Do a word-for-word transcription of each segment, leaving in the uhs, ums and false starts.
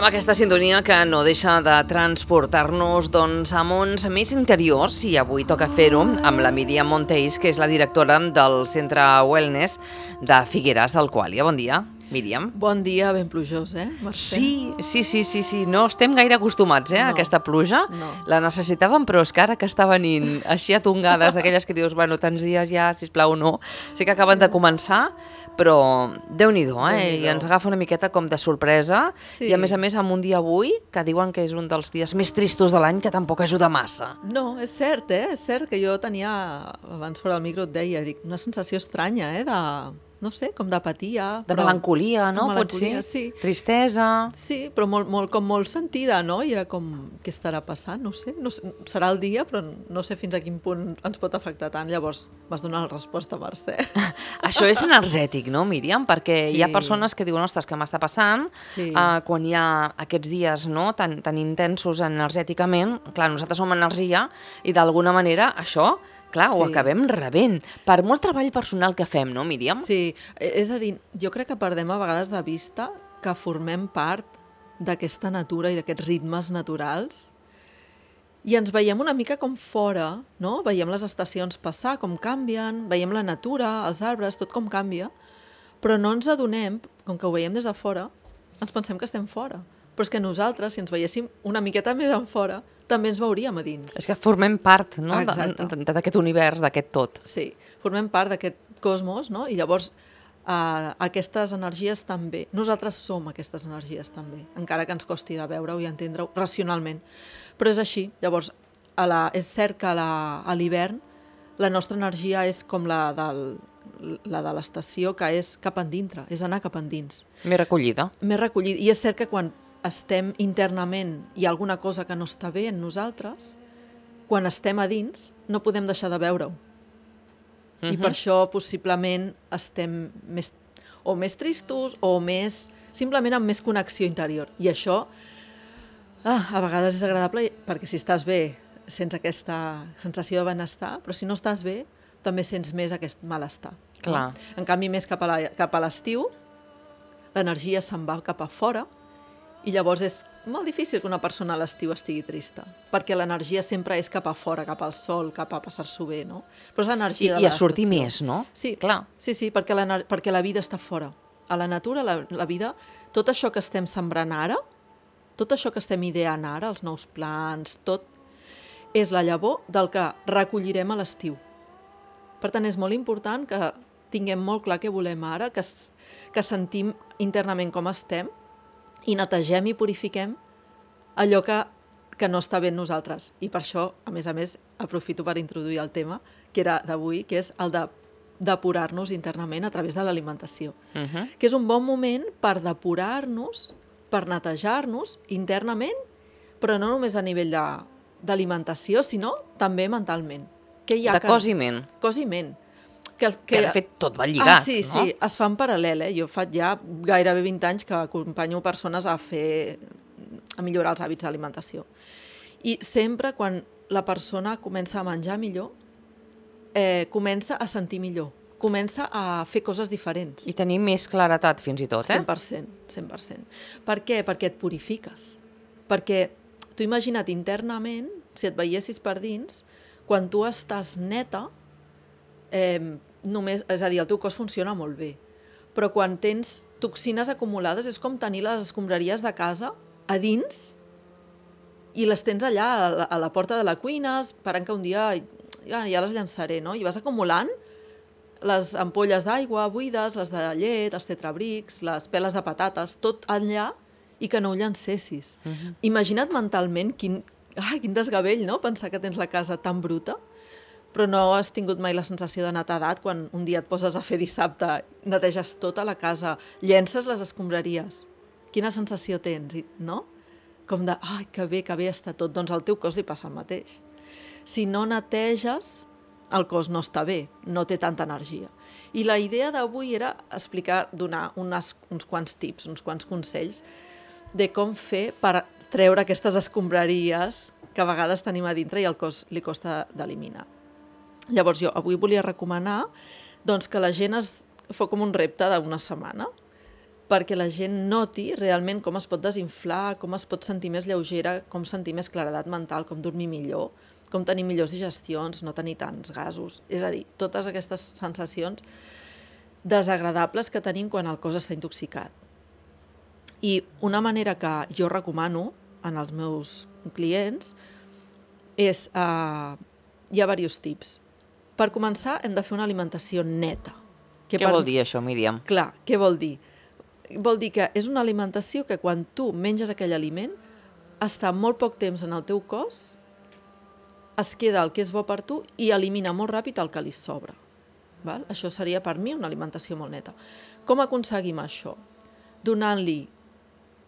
amb aquesta sintonia que no deixa de transportar-nos doncs, a mons més interiors, i avui toca fer-ho amb la Míriam Monteis, que és la directora del Centre Wellness de Figueres d'Alquàlia. Bon dia, Míriam. Bon dia, ben plujós, eh, Mercè? Sí, sí, sí, sí, sí. No estem gaire acostumats eh, a No, aquesta pluja. no. La necessitàvem, però és que ara que està venint així a tongades, aquelles que dius, bueno, tants dies ja, sisplau, no. Sí que acaben de començar, però Déu-n'hi-do, eh? Déu-n'hi-do. I ens agafa una miqueta com de sorpresa. Sí. I a més a més, amb un dia avui, que diuen que és un dels dies més tristos de l'any, que tampoc ajuda massa. No, és cert, eh? És cert que jo tenia, abans fora del micro et deia, dic, una sensació estranya, eh? De, no sé, com d'apatia. De però- melancolia, no? De melancolia, Pot ser? sí. Tristesa. Sí, però molt, molt, com molt sentida, no? I era com, què estarà passant? No sé, no sé, serà el dia, però no sé fins a quin punt ens pot afectar tant. Llavors vas donar la resposta, Mercè. Això és energètic, no, Míriam? Perquè Sí. hi ha persones que diuen, ostres, què m'està passant? Sí. Uh, quan hi ha aquests dies no, tan, tan intensos energèticament, clar, nosaltres som energia i d'alguna manera això, clar, ho Sí. acabem rebent. Per molt treball personal que fem, no, Míriam? Sí, és a dir, jo crec que perdem a vegades de vista que formem part d'aquesta natura i d'aquests ritmes naturals i ens veiem una mica com fora, no? Veiem les estacions passar, com canvien, veiem la natura, els arbres, tot com canvia, però no ens adonem, com que ho veiem des de fora, ens pensem que estem fora. Però és que nosaltres, si ens veiéssim una miqueta més en fora, també ens veuríem a dins. És que formem part no, Exacte. de- de- d'aquest univers, d'aquest tot. Sí, formem part d'aquest cosmos, no? I llavors eh, aquestes energies també. Nosaltres som aquestes energies també, encara que ens costi de veure-ho i entendre-ho racionalment. Però és així. Llavors, a la, és cert que a la- a l'hivern la nostra energia és com la, del, la de l'estació, que és cap endintre, és anar cap endins. M'he recollida. Més recollit. I és cert que quan estem internament hi ha alguna cosa que no està bé en nosaltres, quan estem a dins no podem deixar de veure-ho. I per això possiblement estem més, o més tristos o més, simplement amb més connexió interior. I això ah, a vegades és agradable perquè si estàs bé sents aquesta sensació de benestar, però si no estàs bé també sents més aquest malestar. Clar. No? En canvi, més cap a la- cap a l'estiu, l'energia se'n va cap a fora i llavors és molt difícil que una persona a l'estiu estigui trista, perquè l'energia sempre és cap a fora, cap al sol, cap a passar-s'ho bé, no? Però és I, l'energia de I a sortir l'estació. més, no? Sí, Clar. sí, sí, perquè la, perquè la vida està fora. A la natura, la, la vida, tot això que estem sembrant ara, tot això que estem ideant ara, els nous plans, tot, és la llavor del que recollirem a l'estiu. Per tant, és molt important que tinguem molt clar què volem ara, que, s- que sentim internament com estem i netegem i purifiquem allò que, que no està bé en nosaltres. I per això, a més a més, aprofito per introduir el tema que era d'avui, que és el de depurar-nos internament a través de l'alimentació. Uh -huh. Que és un bon moment per depurar-nos, per netejar-nos internament, però no només a nivell de- d'alimentació, sinó també mentalment. Què hi ha De que- cos i ment. Cos i ment. Que, Que de fet tot va lligat, ah, sí, no? sí, es fa en paral·lel. Eh? Jo fa ja gairebé vint anys que acompanyo persones a fer a millorar els hàbits d'alimentació. I sempre quan la persona comença a menjar millor, eh, comença a sentir millor, comença a fer coses diferents. I tenir més claretat, fins i tot, eh? cent per cent, cent per cent. Per què? Perquè et purifiques. Perquè tu imagina't internament, si et veiessis per dins, quan tu estàs neta, eh, només, és a dir, el teu cos funciona molt bé. Però quan tens toxines acumulades és com tenir les escombraries de casa a dins i les tens allà a la, a la porta de la cuina, esperant que un dia ja, ja les llançaré, no? I vas acumulant les ampolles d'aigua buides, les de llet, els tetrabrics, les peles de patates, tot allà i que no ho llancessis. Uh -huh. Imagina't mentalment quin, ai, quin desgavell, no?, pensar que tens la casa tan bruta, però no has tingut mai la sensació de netedat quan un dia et poses a fer dissabte, neteges tota la casa, llences les escombraries. Quina sensació tens, i- no? Com de, ai, que bé, que bé està tot. Doncs al teu cos li passa el mateix. Si no neteges, el cos no està bé, no té tanta energia. I la idea d'avui era explicar, donar unes, uns quants tips, uns quants consells de com fer per treure aquestes escombraries que a vegades tenim a dintre i al cos li costa d'eliminar. Llavors jo avui volia recomanar doncs, que la gent es fa com un repte d'una setmana perquè la gent noti realment com es pot desinflar, com es pot sentir més lleugera, com sentir més claredat mental, com dormir millor, com tenir millors digestions, no tenir tants gasos. És a dir, totes aquestes sensacions desagradables que tenim quan el cos està intoxicat. I una manera que jo recomano en els meus clients és... Eh, hi ha diversos tips. Per començar, hem de fer una alimentació neta. Què per... vol dir això, Míriam? Clar, què vol dir? Vol dir que és una alimentació que quan tu menges aquell aliment està molt poc temps en el teu cos, es queda el que és bo per tu i elimina molt ràpid el que li sobra. Val? Això seria per mi una alimentació molt neta. Com aconseguim això? Donant-li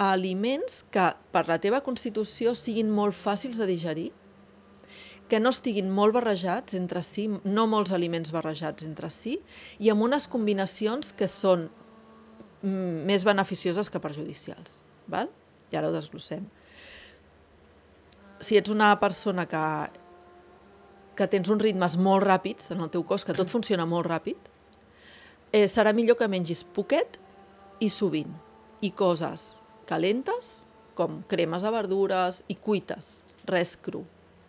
aliments que per la teva constitució siguin molt fàcils de digerir, que no estiguin molt barrejats entre si, no molts aliments barrejats entre si, i amb unes combinacions que són més beneficioses que perjudicials. Val? I ara ho desglossem. Si ets una persona que, que tens uns ritmes molt ràpids en el teu cos, que tot funciona molt ràpid, eh, serà millor que mengis poquet i sovint, i coses calentes, com cremes de verdures i cuites, res cru.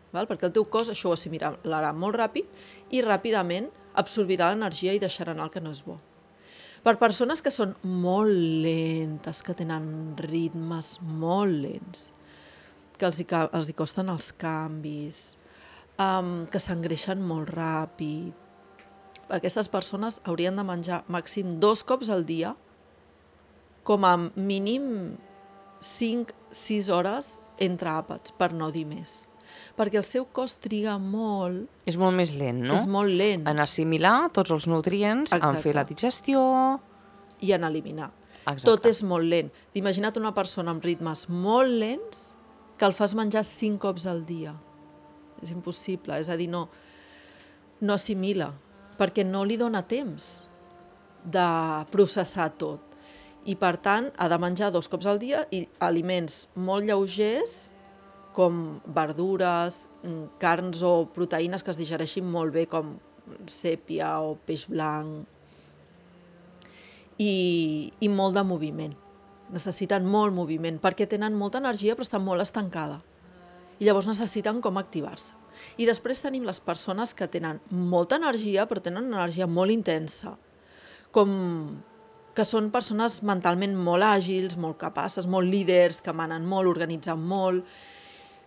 Val? Perquè el teu cos això ho assimilarà molt ràpid i ràpidament absorbirà l'energia i deixarà anar el que no és bo. Per persones que són molt lentes, que tenen ritmes molt lents, que els hi, els hi costen els canvis, um, que s'engreixen molt ràpid, aquestes persones haurien de menjar màxim dos cops al dia, com a mínim cinc a sis hores entre àpats, per no dir més. Perquè el seu cos triga molt... És molt més lent, no? És molt lent. En assimilar tots els nutrients, Exacte. En fer la digestió... I en eliminar. Exacte. Tot és molt lent. Imagina't una persona amb ritmes molt lents que el fas menjar cinc cops al dia. És impossible, és a dir, no, no assimila, perquè no li dona temps de processar tot. I, per tant, ha de menjar dos cops al dia i aliments molt lleugers, com verdures, carns o proteïnes que es digereixin molt bé, com sèpia o peix blanc, i, i molt de moviment. Necessiten molt moviment, perquè tenen molta energia però estan molt estancada. I llavors necessiten com activar-se. I després tenim les persones que tenen molta energia però tenen una energia molt intensa, com que són persones mentalment molt àgils, molt capaces, molt líders, que manen molt, organitzen molt,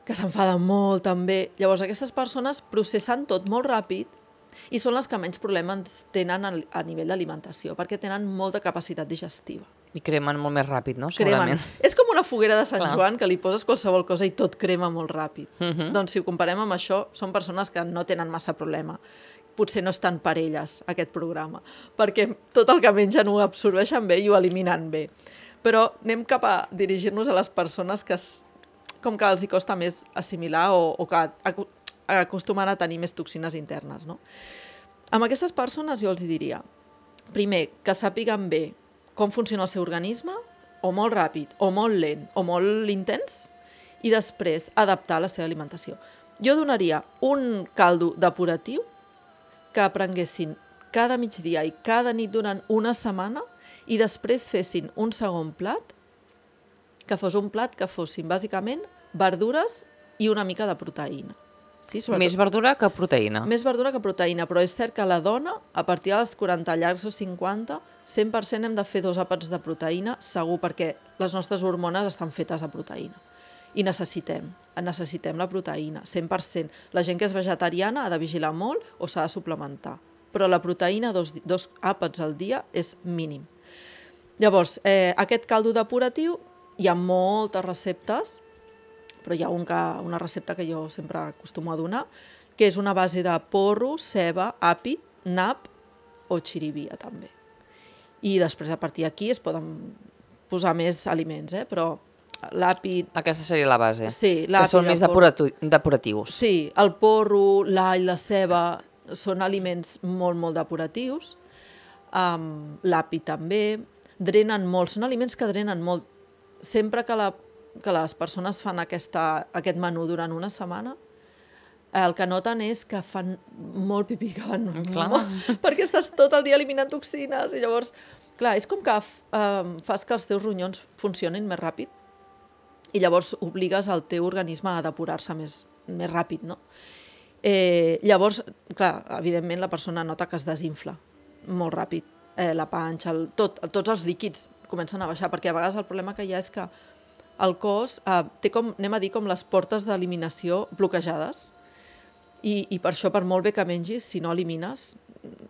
que s'enfaden molt també. Llavors aquestes persones processen tot molt ràpid i són les que menys problemes tenen a nivell d'alimentació, perquè tenen molta capacitat digestiva. I cremen molt més ràpid, no? Segurament. Cremen. És com una foguera de Sant Clar. Joan, que li poses qualsevol cosa i tot crema molt ràpid. Uh -huh. Doncs si ho comparem amb això, són persones que no tenen massa problema. Potser no estan per elles, aquest programa, perquè tot el que mengen ho absorbeixen bé i ho eliminen bé. Però anem cap a dirigir-nos a les persones que es, com que els hi costa més assimilar o, o que acostumen a tenir més toxines internes, no? Amb aquestes persones jo els diria, primer, que sàpiguen bé com funciona el seu organisme, o molt ràpid, o molt lent, o molt intens, i després adaptar la seva alimentació. Jo donaria un caldo depuratiu que prenguessin cada migdia i cada nit durant una setmana i després fessin un segon plat, que fos un plat que fossin bàsicament verdures i una mica de proteïna. Sí, més verdura que proteïna. Més verdura que proteïna, però és cert que la dona, a partir dels quaranta llargs o cinquanta, cent per cent hem de fer dos àpats de proteïna, segur, perquè les nostres hormones estan fetes de proteïna. I necessitem, necessitem la proteïna, cent per cent. La gent que és vegetariana ha de vigilar molt o s'ha de suplementar. Però la proteïna, dos, dos àpats al dia, és mínim. Llavors, eh, aquest caldo depuratiu, hi ha moltes receptes, però hi ha un que, una recepta que jo sempre acostumo a donar, que és una base de porro, ceba, api, nap o xirivia també. I després a partir d'aquí es poden posar més aliments, eh? Però l'api... Aquesta seria la base, sí, que són més depuratu... depuratius. Sí, el porro, l'all, la ceba són aliments molt, molt depuratius. Um, l'api també. Drenen molt, són aliments que drenen molt. Sempre que la que les persones fan aquesta, aquest menú durant una setmana, el que noten és que fan molt pipí, que van Clar. molt, perquè estàs tot el dia eliminant toxines i llavors, clar, és com que um, fas que els teus ronyons funcionin més ràpid i llavors obligues el teu organisme a depurar-se més, més ràpid, no? Eh, llavors, clar, evidentment la persona nota que es desinfla molt ràpid, eh, la panxa, el, tot, tots els líquids comencen a baixar, perquè a vegades el problema que hi ha és que el cos eh, té com, anem a dir, com les portes d'eliminació bloquejades, I, i per això, per molt bé que mengis, si no elimines,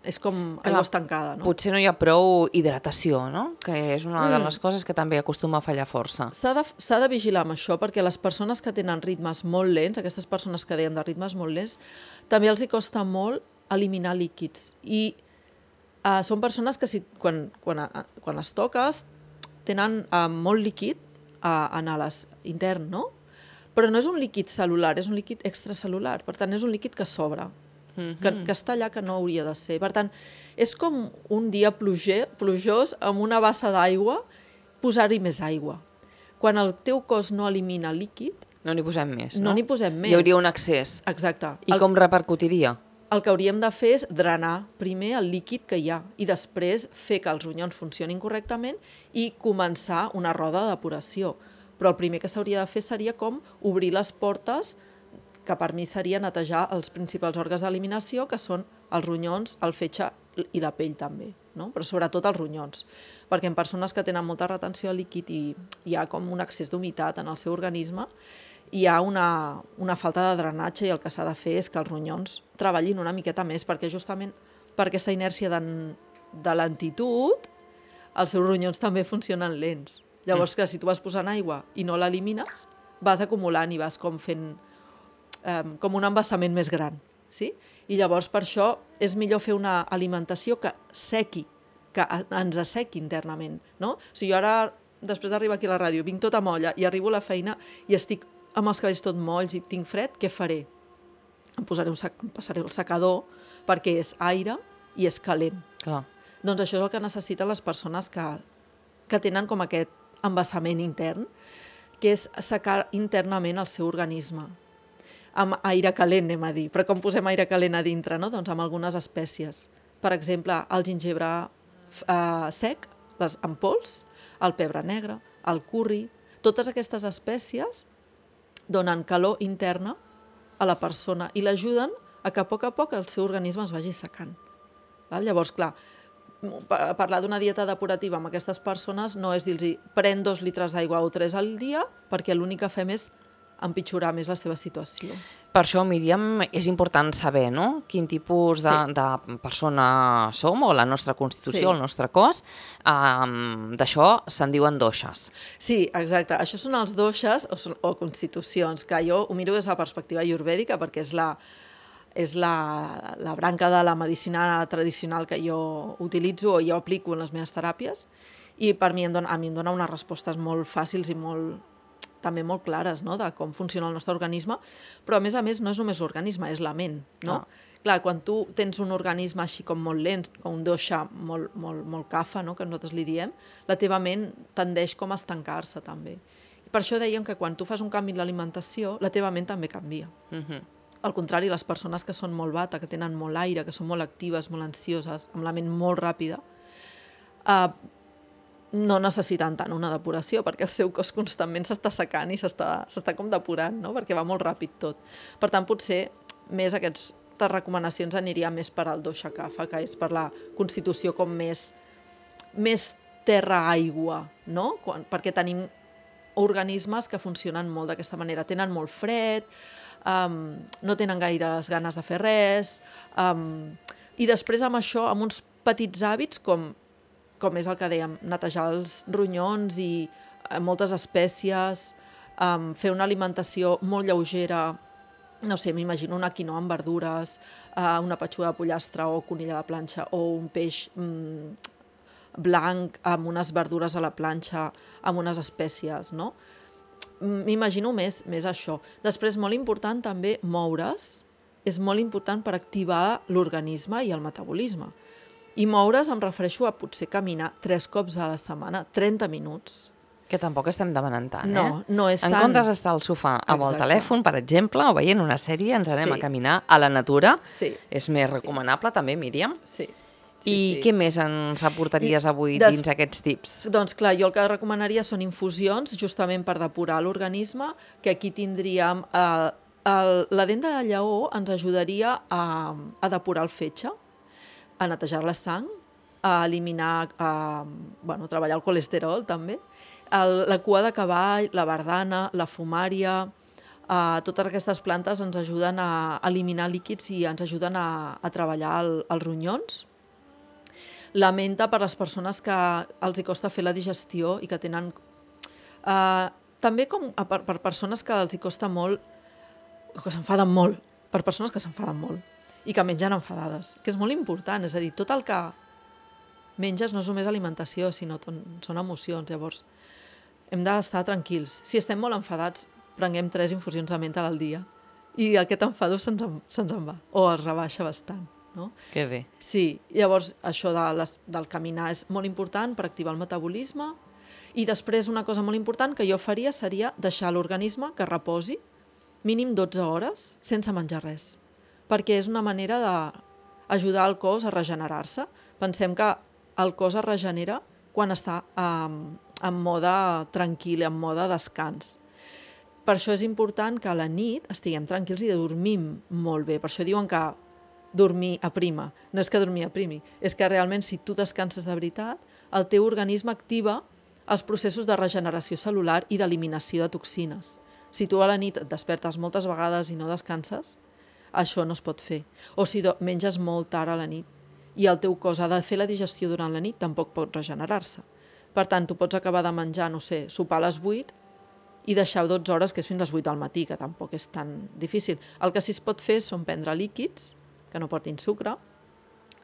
és com aigua estancada, no? Potser no hi ha prou hidratació, no? Que és una de les coses que també acostuma a fallar força. S'ha de, s'ha de vigilar amb això, perquè les persones que tenen ritmes molt lents, aquestes persones que dèiem de ritmes molt lents, també els hi costa molt eliminar líquids. I uh, són persones que si, quan, quan, uh, quan les toques tenen uh, molt líquid uh, en les intern, no? Però no és un líquid cel·lular, és un líquid extracel·lular. Per tant, és un líquid que sobra, mm-hmm. que, que està allà que no hauria de ser. Per tant, és com un dia pluger, plujós amb una bassa d'aigua, posar-hi més aigua. Quan el teu cos no elimina líquid... No n'hi posem més, no? No n'hi posem més. Hi hauria un excés. Exacte. I el, com repercutiria? El que hauríem de fer és drenar primer el líquid que hi ha i després fer que els ronyons funcionin correctament i començar una roda de depuració. Però el primer que s'hauria de fer seria com obrir les portes, que per mi seria netejar els principals òrgans d'eliminació, que són els ronyons, el fetge i la pell també, no? Però sobretot els ronyons, perquè en persones que tenen molta retenció de líquid i hi ha com un excés d'humitat en el seu organisme, hi ha una, una falta de drenatge i el que s'ha de fer és que els ronyons treballin una miqueta més, perquè justament per aquesta inèrcia de, de lentitud, els seus ronyons també funcionen lents. Llavors, que si tu vas posant aigua i no l'elimines, vas acumulant i vas com fent eh, com un embassament més gran. Sí? I llavors, per això, és millor fer una alimentació que sequi, que ens assequi internament. No? Si jo ara, després d'arribar aquí a la ràdio, vinc tota molla i arribo a la feina i estic amb els cabells tot molls i tinc fred, què faré? Em, posaré un sec, em passaré el secador perquè és aire i és calent. Clar. Doncs això és el que necessiten les persones que, que tenen com aquest embassament intern, que és assecar internament el seu organisme. Amb aire calent, anem a dir. Però com posem aire calent a dintre, no? Doncs amb algunes espècies. Per exemple, el gingebre eh, sec, les en pols, el pebre negre, el curri... Totes aquestes espècies donen calor interna a la persona i l'ajuden a que a poc a poc el seu organisme es vagi secant. Val? Llavors, clar, parlar d'una dieta depurativa amb aquestes persones no és dir-los pren dos litres d'aigua o tres al dia, perquè l'únic que fem és empitjorar més la seva situació. Per això, Míriam, és important saber, no?, quin tipus de, sí. de persona som, o la nostra constitució, sí. el nostre cos. Um, D'això se'n diuen doixes. Sí, exacte. Això són els doixes o, són, o constitucions, que jo ho miro des de la perspectiva ayurvèdica, perquè és la, és la, la branca de la medicina tradicional que jo utilitzo o jo aplico en les meves teràpies, i per mi em dona, a mi em dona unes respostes molt fàcils i molt també molt clares, no?, de com funciona el nostre organisme, però a més a més no és només l'organisme, és la ment, no? Ah. Clar, quan tu tens un organisme així com molt lent, com un doixa molt, molt, molt cafa, no?, que nosaltres li diem, la teva ment tendeix com a estancar-se també. I per això dèiem que quan tu fas un canvi en l'alimentació, la teva ment també canvia. Uh-huh. Al contrari, les persones que són molt bata, que tenen molt aire, que són molt actives, molt ansioses, amb la ment molt ràpida, eh, no necessiten tant una depuració, perquè el seu cos constantment s'està secant i s'està com depurant, no?, perquè va molt ràpid tot. Per tant, potser més aquestes recomanacions aniria més per al dosha kapha, que és per la constitució com més, més terra-aigua, no?, Quan, perquè tenim organismes que funcionen molt d'aquesta manera. Tenen molt fred, um, no tenen gaires ganes de fer res, um, i després amb això, amb uns petits hàbits com com és el que dèiem, netejar els ronyons i eh, moltes espècies, um, fer una alimentació molt lleugera, no sé, m'imagino una quinoa amb verdures, uh, una petxuga de pollastre o conill a la planxa, o un peix mm, blanc amb unes verdures a la planxa, amb unes espècies, no? M'imagino més, més això. Després, molt important també moure's, és molt important per activar l'organisme i el metabolisme. I moure's em refereixo a potser caminar tres cops a la setmana, trenta minuts. Que tampoc estem demanant tant, eh? No, no és en tan... comptes d'estar al sofà amb el Exacte. telèfon, per exemple, o veient una sèrie, ens anem Sí. a caminar a la natura. Sí. És més recomanable també, Míriam. Sí. I Sí, sí. què més ens aportaries avui Des... dins aquests tips? Doncs clar, jo el que recomanaria són infusions, justament per depurar l'organisme, que aquí tindríem... Eh, el, la dent de lleó ens ajudaria a, a depurar el fetge, a netejar la sang, a eliminar, a, bueno, treballar el colesterol també, el, la cua de cavall, la bardana, la fumària, eh, totes aquestes plantes ens ajuden a eliminar líquids i ens ajuden a, a treballar el, els ronyons. La menta per les persones que els hi costa fer la digestió i que tenen... Eh, també com a, per, per persones que els hi costa molt, que s'enfaden molt, per persones que s'enfaden molt i que mengen enfadades, que és molt important, és a dir, tot el que menges no és només alimentació, sinó ton, són emocions, llavors hem d'estar tranquils. Si estem molt enfadats, prenguem tres infusions de menta al dia i aquest enfado se'ns en, se'ns en va, o es rebaixa bastant. No? Que bé. Sí, llavors això de les, del caminar és molt important per activar el metabolisme i després una cosa molt important que jo faria seria deixar l'organisme que reposi mínim dotze hores sense menjar res, perquè és una manera d'ajudar el cos a regenerar-se. Pensem que el cos es regenera quan està um, en mode tranquil, en mode descans. Per això és important que a la nit estiguem tranquils i dormim molt bé. Per això diuen que dormir aprima. No és que dormir aprimi, és que realment si tu descanses de veritat, el teu organisme activa els processos de regeneració cel·lular i d'eliminació de toxines. Si tu a la nit et despertes moltes vegades i no descanses, això no es pot fer. O si menges molt tard a la nit i el teu cos ha de fer la digestió durant la nit, tampoc pot regenerar-se. Per tant, tu pots acabar de menjar, no sé, sopar a les vuit i deixar dotze hores, que és fins a les vuit del matí, que tampoc és tan difícil. El que sí es pot fer són prendre líquids que no portin sucre,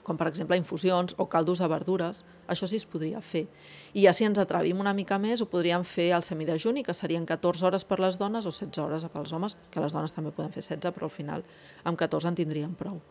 com per exemple infusions o caldos de verdures, això sí es podria fer. I ja si ens atrevim una mica més, ho podríem fer al semidejuni, que serien catorze hores per les dones o setze hores pels homes, que les dones també poden fer setze, però al final amb catorze en tindríem prou.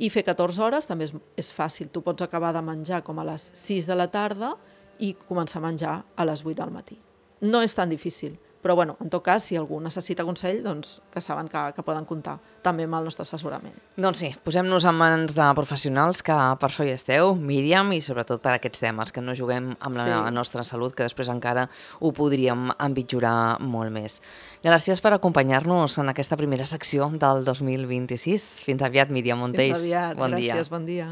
I fer catorze hores també és, és fàcil, tu pots acabar de menjar com a les sis de la tarda i començar a menjar a les vuit del matí. No és tan difícil, però bueno, en tot cas, si algú necessita consell, doncs que saben que, que poden comptar també amb el nostre assessorament. Doncs sí, posem-nos en mans de professionals que per això hi esteu, Míriam, i sobretot per aquests temes, que no juguem amb la sí. nostra salut, que després encara ho podríem empitjorar molt més. Gràcies per acompanyar-nos en aquesta primera secció del dos mil vint-i-sis. Fins aviat, Míriam Montells. Fins aviat, bon gràcies, dia. bon dia.